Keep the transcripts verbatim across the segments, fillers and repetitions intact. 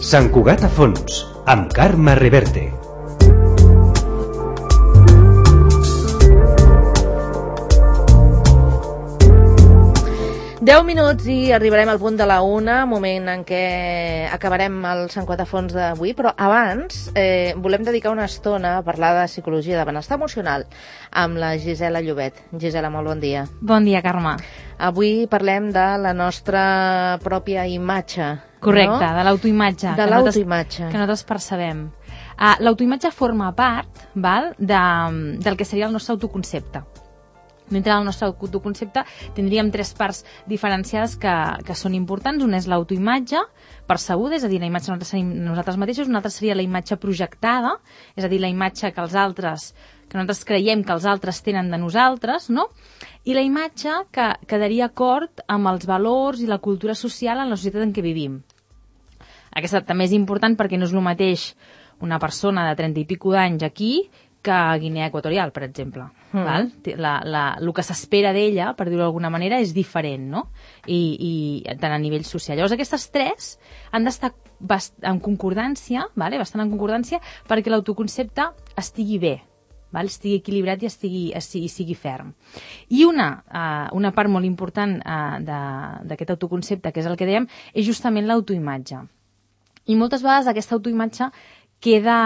Sant Cugat a fons, amb Carme Reverte. deu minuts i arribarem al punt de la una, moment en què acabarem el Sant Cugat a fons d'avui, però abans eh, volem dedicar una estona a parlar de psicologia de benestar emocional amb la Gisela Llobet. Gisela, molt bon dia. Bon dia, Carme. Avui parlem de la nostra pròpia imatge. Correcte, no? de l'autoimatge. De l'autoimatge. Que nosaltres percebem. Uh, l'autoimatge forma part, val, de, del que seria el nostre autoconcepte. Dintre del nostre autoconcepte tindríem tres parts diferenciades que, que són importants. Una és l'autoimatge percebuda, és a dir, la imatge que nosaltres tenim nosaltres mateixos. Una altra seria la imatge projectada, és a dir, la imatge que els altres, que nosaltres creiem que els altres tenen de nosaltres, no? I la imatge que quedaria acord amb els valors i la cultura social en la societat en què vivim. Aquesta també és important perquè no és el mateix una persona de trenta i pico d'anys aquí que a Guinea Equatorial, per exemple. Mm. Val? La, la, el que s'espera d'ella, per dir-ho d'alguna manera, és diferent, no? I, i tant a nivell social. Llavors, aquestes tres han d'estar en concordància, vale? bastant en concordància, perquè l'autoconcepte estigui bé, val? Estigui equilibrat i estigui, estigui, sigui ferm. I una, uh, una part molt important uh, d'aquest autoconcepte, que és el que dèiem, és justament l'autoimatge. I moltes vegades aquesta autoimatge queda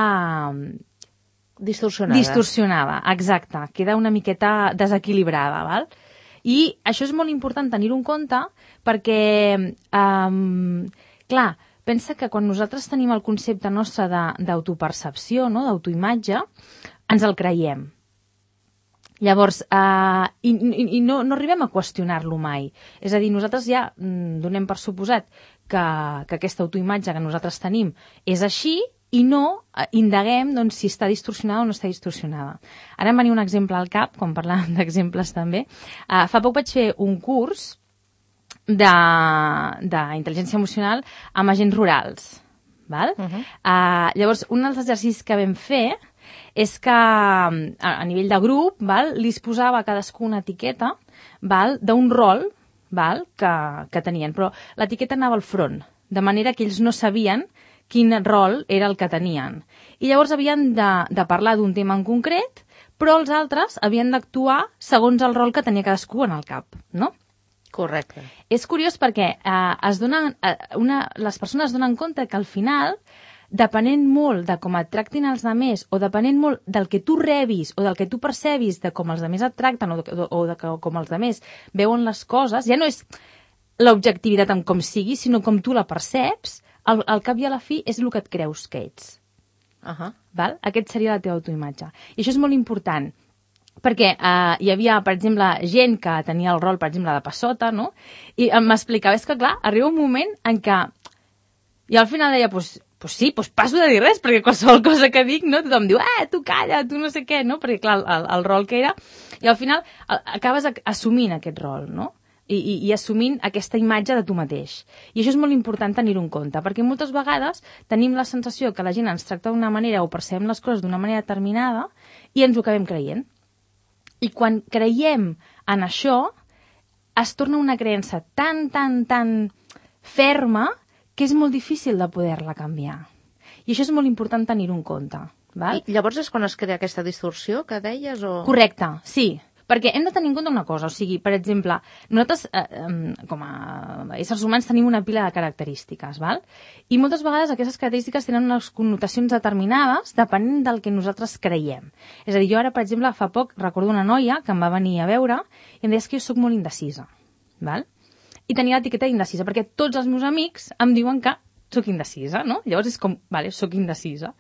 distorsionada. Distorsionada, exacte. Queda una miqueta desequilibrada, val? I això és molt important tenir-ho en compte perquè, um, clar, pensa que quan nosaltres tenim el concepte nostre d'autopercepció, no? D'autoimatge, ens el creiem. Llavors, uh, i, i, i no, no arribem a qüestionar-lo mai. És a dir, nosaltres ja mm, donem per suposat que, que aquesta autoimatge que nosaltres tenim és així i no indaguem doncs, si està distorsionada o no està distorsionada. Ara em venia un exemple al cap, quan parlàvem d'exemples també. Uh, fa poc vaig fer un curs d'intel·ligència emocional amb agents rurals. Val? Uh -huh. uh, llavors, un dels exercicis que vam fer és que a, a nivell de grup val, li es posava a cadascú una etiqueta d'un rol val, que, que tenien, però l'etiqueta anava al front, de manera que ells no sabien quin rol era el que tenien. I llavors havien de, de parlar d'un tema en concret, però els altres havien d'actuar segons el rol que tenia cadascú en el cap, no? Correcte. És curiós perquè eh, es donen, eh, una, les persones es donen compte que al final, depenent molt de com et tractin els altres o depenent molt del que tu rebis o del que tu percebis de com els altres et tracten o de, o de com els altres veuen les coses, ja no és l'objectivitat en com sigui, sinó com tu la perceps. Al, al cap i a la fi és el que et creus que ets. Uh -huh. Val? Aquest seria la teva autoimatge. I això és molt important, perquè eh, hi havia, per exemple, gent que tenia el rol, per exemple, de passota, no? I m'explicava, és que clar, arriba un moment en què i al final deia, pues, pues sí, pues passo de dir res, perquè qualsevol cosa que dic, no? Tothom diu, eh, tu calla, tu no sé què, no? Perquè clar, el, el rol que era, i al final acabes assumint aquest rol, no? I, i, i assumint aquesta imatge de tu mateix. I això és molt important tenir-ho en compte, perquè moltes vegades tenim la sensació que la gent ens tracta d'una manera o percebem les coses d'una manera determinada i ens ho acabem creient. I quan creiem en això, es torna una creença tan, tan, tan ferma que és molt difícil de poder-la canviar. I això és molt important tenir-ho en compte. Val? I llavors és quan es crea aquesta distorsió que deies? O... Correcte, sí. Perquè hem de tenir en compte una cosa, o sigui, per exemple, nosaltres, eh, com a éssers humans, tenim una pila de característiques, val? I moltes vegades aquestes característiques tenen unes connotacions determinades depenent del que nosaltres creiem. És a dir, jo ara, per exemple, fa poc recordo una noia que em va venir a veure i em deia que jo sóc molt indecisa, val? I tenia l'etiqueta d'indecisa, perquè tots els meus amics em diuen que sóc indecisa, no? Llavors és com, vale, sóc indecisa.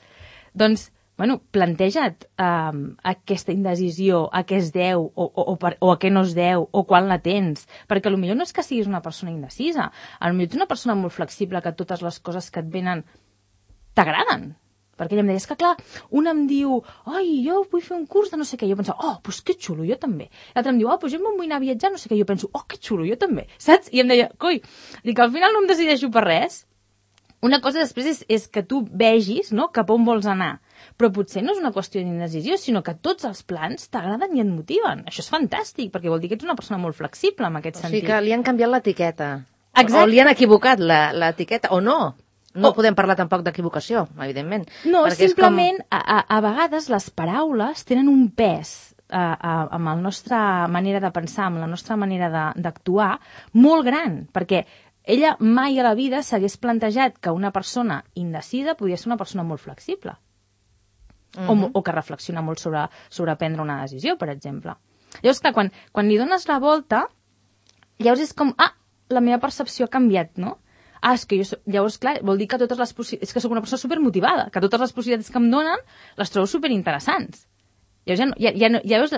Doncs, bueno, planteja't um, aquesta indecisió, a què es deu, o, o, o, per, o a què no es deu, o quan la tens. Perquè potser no és que siguis una persona indecisa, potser ets una persona molt flexible que totes les coses que et venen t'agraden. Perquè ella em deia, és que clar, un em diu, ai, jo vull fer un curs de no sé què, jo penso, oh, doncs que xulo, jo també. L'altre em diu, oh, doncs jo em vull anar a viatjar, no sé què, jo penso, oh, que xulo, jo també, saps? I em deia, coi, dic, al final no em decideixo per res. Una cosa després és, és que tu vegis, no?, cap on vols anar. Però potser no és una qüestió d'indecisió, sinó que tots els plans t'agraden i et motiven. Això és fantàstic, perquè vol dir que ets una persona molt flexible en aquest sentit. O sigui que li han canviat l'etiqueta. Exacte. O li han equivocat l'etiqueta, o no. No Oh. podem parlar tampoc d'equivocació, evidentment. No, perquè és simplement, com... a, a, a vegades les paraules tenen un pes a, a, amb la nostra manera de pensar, amb la nostra manera d'actuar, molt gran, perquè ella mai a la vida s'hagués plantejat que una persona indecida podia ser una persona molt flexible. Uh -huh. o, o que reflexiona molt sobre, sobre prendre una decisió, per exemple. Llavors, clar, quan, quan li dones la volta, llavors és com, ah, la meva percepció ha canviat, no? Ah, és que jo... Llavors, clar, vol dir que totes les possibilitats... És que sóc una persona supermotivada, que totes les possibilitats que em donen les trobo superinteressants. Llavors, ja no, ja, ja no, llavors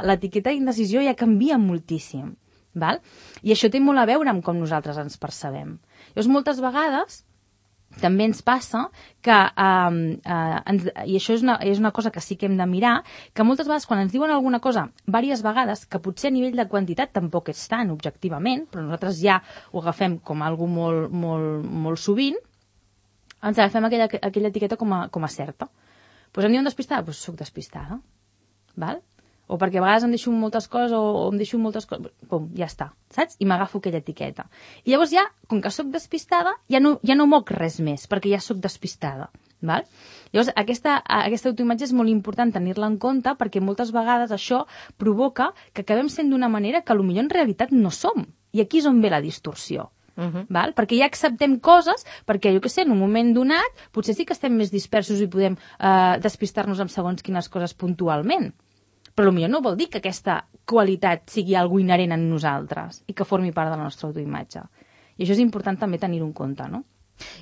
l'etiqueta d'indecisió ja canvia moltíssim, val? I això té molt a veure amb com nosaltres ens percebem. Llavors, moltes vegades també ens passa que, eh, eh, ens, i això és una, és una cosa que sí que hem de mirar, que moltes vegades quan ens diuen alguna cosa diverses vegades, que potser a nivell de quantitat tampoc és tant objectivament, però nosaltres ja ho agafem com algo molt, molt, molt sovint, ens agafem aquella, aquella etiqueta com a, com a certa. Doncs em diuen despistada? Doncs soc despistada. Val? O perquè a vegades em deixo moltes coses o, o em deixo moltes coses, pum, ja està, saps? I m'agafo aquella etiqueta. I llavors ja, com que sóc despistada, ja no, ja no moc res més, perquè ja sóc despistada. Val? Llavors, aquesta, aquesta autoimatge és molt important tenir-la en compte, perquè moltes vegades això provoca que acabem sent d'una manera que potser en realitat no som. I aquí és on ve la distorsió. Uh -huh. Val? Perquè ja acceptem coses, perquè, jo què sé, en un moment donat, potser sí que estem més dispersos i podem eh, despistar-nos amb segons quines coses puntualment. Però potser no vol dir que aquesta qualitat sigui algo inherent en nosaltres i que formi part de la nostra autoimatge. I això és important també tenir-ho en compte, no?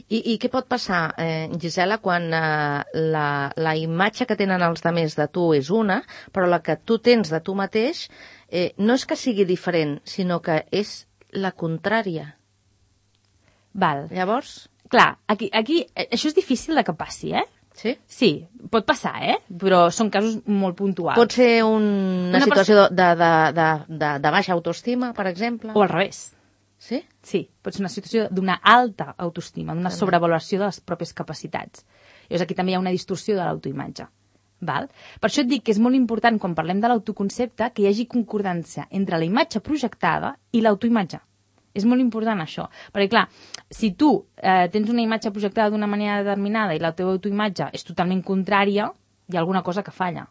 I, i què pot passar, eh, Gisela, quan eh, la, la imatge que tenen els altres de tu és una, però la que tu tens de tu mateix eh, no és que sigui diferent, sinó que és la contrària. Val. Llavors? Clar, aquí, aquí això és difícil de que passi, eh? Sí? Sí, pot passar, eh? Però són casos molt puntuals. Pot ser un, una, una situació de, de, de, de, de baixa autoestima, per exemple? O al revés. Sí? Sí, pot ser una situació d'una alta autoestima, d'una sobrevaloració de les pròpies capacitats. Llavors aquí també hi ha una distorsió de l'autoimatge. Val? Per això et dic que és molt important, quan parlem de l'autoconcepte, que hi hagi concordància entre la imatge projectada i l'autoimatge. És molt important això, perquè clar, si tu eh, tens una imatge projectada d'una manera determinada i la teva autoimatge és totalment contrària, hi ha alguna cosa que falla.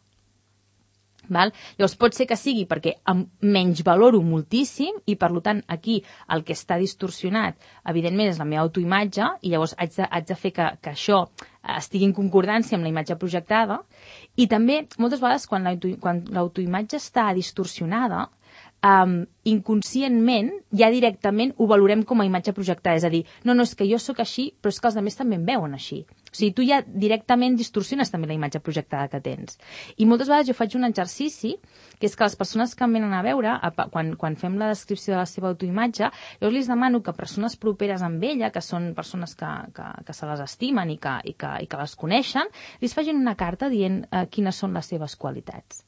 Val? Llavors pot ser que sigui perquè em menys valoro moltíssim i per tant aquí el que està distorsionat evidentment és la meva autoimatge i llavors haig de, haig de fer que, que això estigui en concordància amb la imatge projectada i també moltes vegades quan l'autoimatge està distorsionada Um, inconscientment ja directament ho valorem com a imatge projectada, és a dir, no, no, és que jo sóc així però és que els altres també em veuen així, o sigui, tu ja directament distorsiones també la imatge projectada que tens i moltes vegades jo faig un exercici que és que les persones que em venen a veure a, quan, quan fem la descripció de la seva autoimatge jo els demano que persones properes amb ella, que són persones que, que, que se les estimen i que, i, que, i que les coneixen, li facin una carta dient uh, quines són les seves qualitats.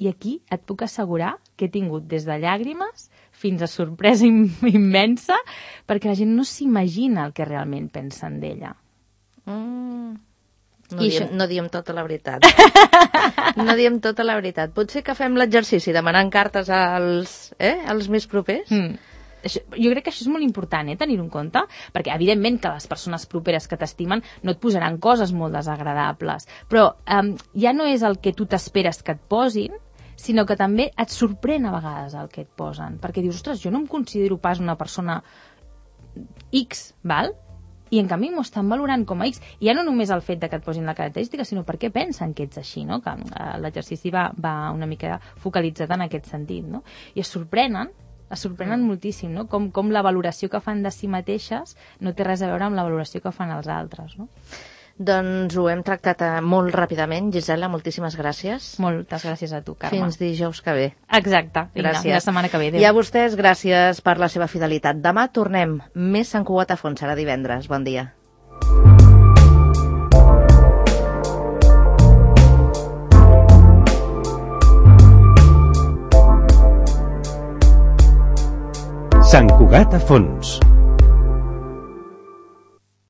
I aquí et puc assegurar que he tingut des de llàgrimes fins a sorpresa immensa perquè la gent no s'imagina el que realment pensen d'ella. Mm. No, diem, no diem tota la veritat. No diem tota la veritat. Potser que fem l'exercici demanant cartes als, eh, als més propers? Mm. Això, jo crec que això és molt important, eh, tenir-ho en compte, perquè evidentment que les persones properes que t'estimen no et posaran coses molt desagradables, però um, ja no és el que tu t'esperes que et posin, sinó que també et sorprèn a vegades el que et posen, perquè dius, ostres, jo no em considero pas una persona X, val? I en canvi m'ho estan valorant com a X. I ja no només el fet de que et posin la característica, sinó perquè pensen que ets així, no? Que uh, l'exercici va, va una mica focalitzat en aquest sentit, no? I es sorprenen, es sorprenen mm. moltíssim, no? Com, com la valoració que fan de si mateixes no té res a veure amb la valoració que fan els altres, no? Doncs ho hem tractat molt ràpidament. Gisela, moltíssimes gràcies. Moltes gràcies a tu, Carme. Fins dijous que ve. Exacte. Gràcies. La setmana que ve. Adéu. I a vostès, gràcies per la seva fidelitat. Demà tornem. Més Sant Cugat a fons. Serà divendres. Bon dia. Sant Cugat a fons.